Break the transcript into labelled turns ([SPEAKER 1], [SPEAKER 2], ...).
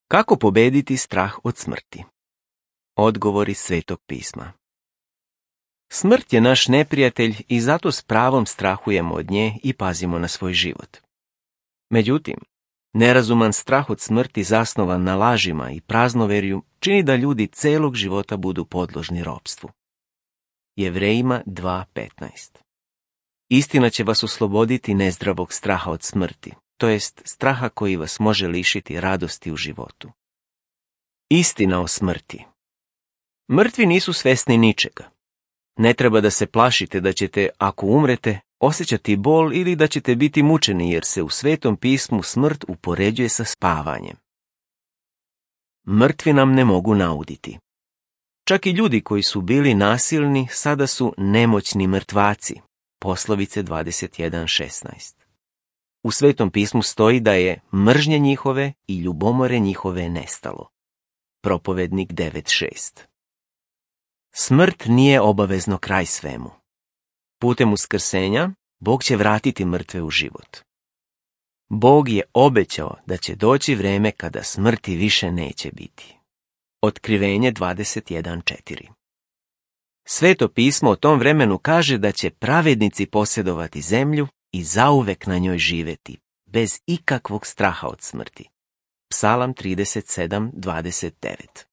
[SPEAKER 1] Kako pobediti strah od smrti? Odgovori Svetog pisma. Smrt je naš neprijatelj i zato s pravom strahujemo od nje i pazimo na svoj život. Međutim, nerazuman strah od smrti zasnovan na lažima i praznoverju čini da ljudi celog života budu podložni ropstvu. Jevrejima 2:15. Istina će vas osloboditi nezdravog straha od smrti, to jest straha koji vas može lišiti radosti u životu. Istina o smrti. Mrtvi nisu svesni ničega. Ne treba da se plašite da ćete, ako umrete, osjećati bol ili da ćete biti mučeni, jer se u Svetom pismu smrt upoređuje sa spavanjem. Mrtvi nam ne mogu nauditi. Čak i ljudi koji su bili nasilni sada su nemoćni mrtvaci. Poslovice 21:16. U Svetom pismu stoji da je mržnje njihove i ljubomore njihove nestalo. Propovednik 9:6. Smrt nije obavezno kraj svemu. Putem uskrsenja Bog će vratiti mrtve u život. Bog je obećao da će doći vreme kada smrti više neće biti. Otkrivenje 21:4. Sveto pismo o tom vremenu kaže da će pravednici posjedovati zemlju i zauvek na njoj živeti, bez ikakvog straha od smrti. Psalam 37:29.